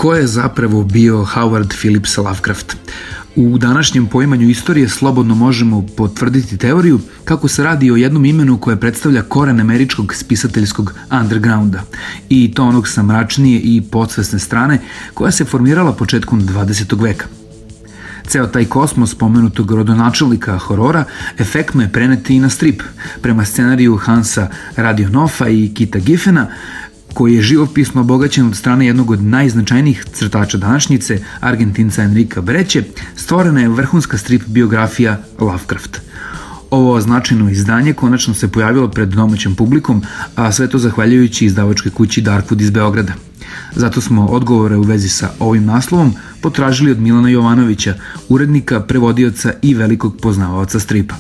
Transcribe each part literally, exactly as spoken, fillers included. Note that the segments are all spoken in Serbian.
Ko je zapravo bio Howard Phillips Lovecraft? U današnjem poimanju istorije slobodno možemo potvrditi teoriju kako se radi o jednom imenu koje predstavlja koren američkog spisateljskog undergrounda i to onog sa mračnije i podsvesne strane koja se formirala početkom dvadesetog veka. Ceo taj kosmos pomenutog rodonačelnika horora efektno je prenet i na strip, prema scenariju Hansa Radionoffa i Kita Giffena, koji je živopisno obogaćen od strane jednog od najznačajnijih crtača današnjice, Argentinca Enrika Breće, stvorena je vrhunska strip biografija Lovecraft. Ovo značajno izdanje konačno se pojavilo pred domaćom publikom, a sve to zahvaljujući izdavačkoj kući Darkwood iz Beograda. Zato smo odgovore u vezi sa ovim naslovom potražili od Milana Jovanovića, urednika, prevodioca i velikog poznavaoca stripa.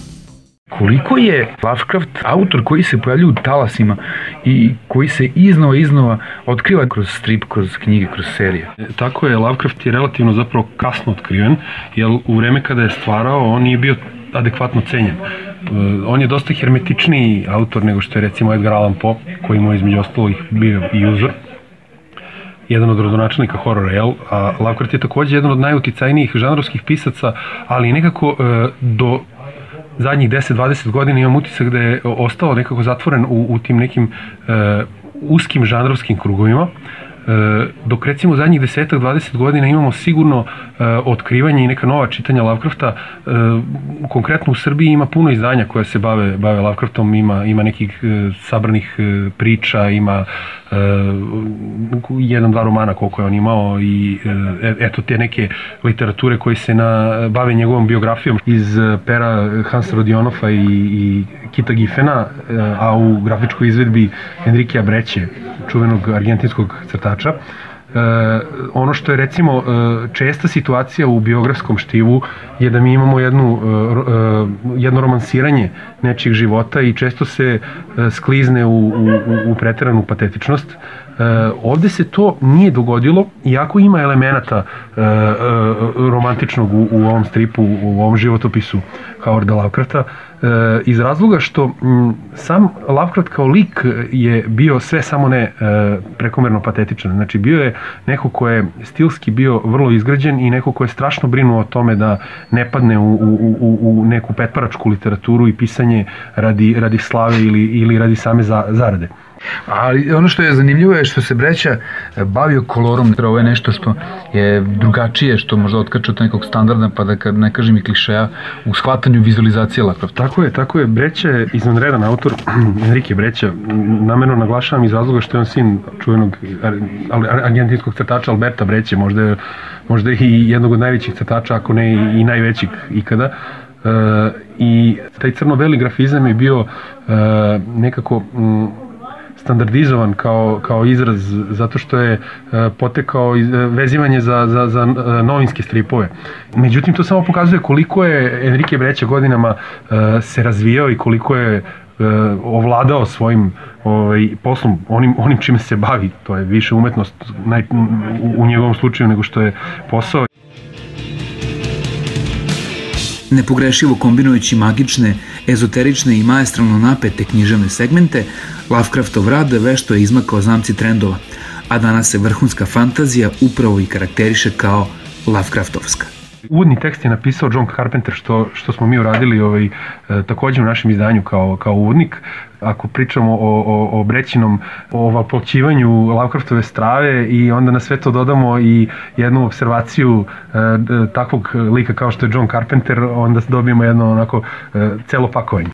Koliko je Lovecraft autor koji se pojavljuje u talasima i koji se iznova iznova otkriva kroz strip, kroz knjige, kroz serije. Tako je, Lovecraft je relativno zapravo kasno otkriven, jer u vreme kada je stvarao on nije bio adekvatno cenjen. On je dosta hermetičniji autor nego što je recimo Edgar Allan Poe, koji mu je između ostalih bio i uzor. Jedan od rodonačelnika horora, jel? A Lovecraft je takođe jedan od najuticajnijih žanrovskih pisaca, ali nekako do zadnjih deset do dvadeset godina imam utisak da je ostao nekako zatvoren u, u tim nekim uh, uskim žanrovskim krugovima, uh, dok recimo zadnjih deset do dvadeset godina imamo sigurno uh, otkrivanje i neka nova čitanja Lovecrafta. Uh, konkretno u Srbiji ima puno izdanja koja se bave, bave Lovecraftom, ima, ima nekih uh, sabranih uh, priča, ima Uh, jedan, dva romana koliko je on imao i uh, eto te neke literature koji se na, bave njegovom biografijom iz uh, pera Hansa Radionoffa i, i Kita Giffena, uh, a u grafičkoj izvedbi Enrikea Breće, čuvenog argentinskog crtača. Uh, ono što je recimo uh, česta situacija u biografskom štivu je da mi imamo jednu, uh, uh, jedno romansiranje nečijeg života i često se uh, sklizne u, u, u preteranu patetičnost. Uh, ovde se to nije dogodilo, iako ima elemenata uh, uh, romantičnog u, u ovom stripu, u ovom životopisu Howarda Lovecrafta, uh, iz razloga što m, sam Lovecraft kao lik je bio sve samo ne uh, prekomerno patetičan. Znači bio je neko ko je stilski bio vrlo izgrađen i neko ko je strašno brinuo o tome da ne padne u, u, u, u neku petparačku literaturu i pisanje radi, radi slave ili, ili radi same za, zarade. Ali ono što je zanimljivo je što se Breća bavio kolorom, ovo je nešto što je drugačije, što možda otkače od nekog standarda, pa da ne kažem i klišeja, u shvatanju vizualizacije Lovecrafta. Tako je, tako je. Breća je izvanredan autor, Enrique Breća, namerno naglašavam iz razloga što je on sin čuvenog argentinskog crtača Alberta Breće, možda je, možda je i jednog od najvećih crtača, ako ne i, i najvećih ikada. Uh, I taj crno-beli grafizam je bio uh, nekako um, standardizovan kao, kao izraz zato što je uh, potekao iz, uh, vezivanje za, za, za uh, novinske stripove. Međutim, to samo pokazuje koliko je Enrique Breća godinama uh, se razvijao i koliko je uh, ovladao svojim ovaj, poslom, onim, onim čime se bavi. To je više umetnost naj, u, u njegovom slučaju nego što je posao. Nepogrešivo kombinujući magične, ezoterične i maestralno napete književne segmente, Lovecraftov rad vešto je izmakao zamci trendova, a danas se vrhunska fantazija upravo i karakteriše kao Lovecraftovska. Uvodni tekst je napisao John Carpenter, što, što smo mi uradili ovaj, takođe u našem izdanju kao, kao uvodnik. Ako pričamo o, o, o Brećinom ovaplćivanju Lovecraftove strave i onda na sve to dodamo i jednu observaciju e, takvog lika kao što je John Carpenter, onda dobijemo jedno onako e, celo pakovanje.